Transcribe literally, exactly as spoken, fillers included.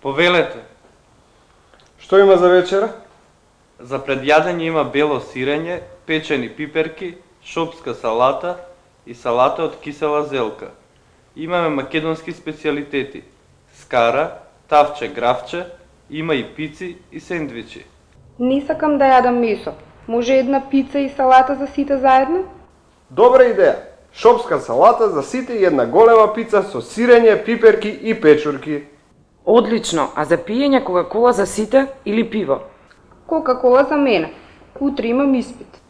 Повелете. Што има за вечера? За предјадење има бело сирење, печени пиперки, шопска салата и салата од кисела зелка. Имаме македонски специјалитети: скара, тавче, гравче, има и пици и сендвичи. Не сакам да јадам месо. Може една пица и салата за сите заедно? Добра идеја. Шопска салата за сите и една голема пица со сирење, пиперки и печурки. Одлично, а за пиење кока-кола за сите или пиво? Кока-кола за мене. Утре имам испит.